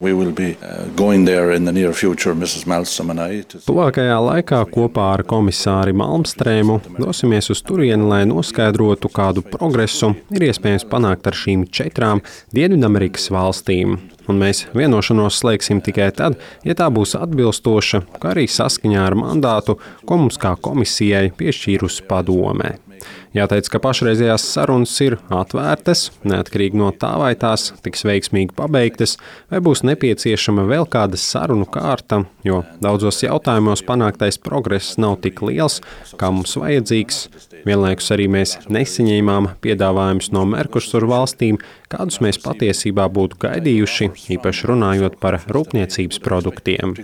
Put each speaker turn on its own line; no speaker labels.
We will be going there in the near future, Mrs. Malmström and I.
Tuvākajā laikā kopā ar komisāri Malmstrēmu dosimies uz turieni, lai noskaidrotu, kādu progresu ir iespējams panākt ar šīm 4 Dienvidamerikas valstīm. Un mēs vienošanos slēgsim tikai tad, ja tā būs atbilstoša, kā arī saskaņā ar mandātu, ko mums kā komisijai piešķīrusi padome. Jāteic, ka pašreizējās sarunas ir atvērtas, neatkarīgi no tā, vai tās tiks veiksmīgi pabeigtas, vai būs nepieciešama vēl kāda sarunu kārta, jo daudzos jautājumos panāktais progress nav tik liels, kā mums vajadzīgs. Vienlaikus arī mēs nesaņēmām piedāvājumus no Mercosur valstīm, kādus mēs patiesībā būtu gaidījuši, īpaši runājot par rūpniecības produktiem.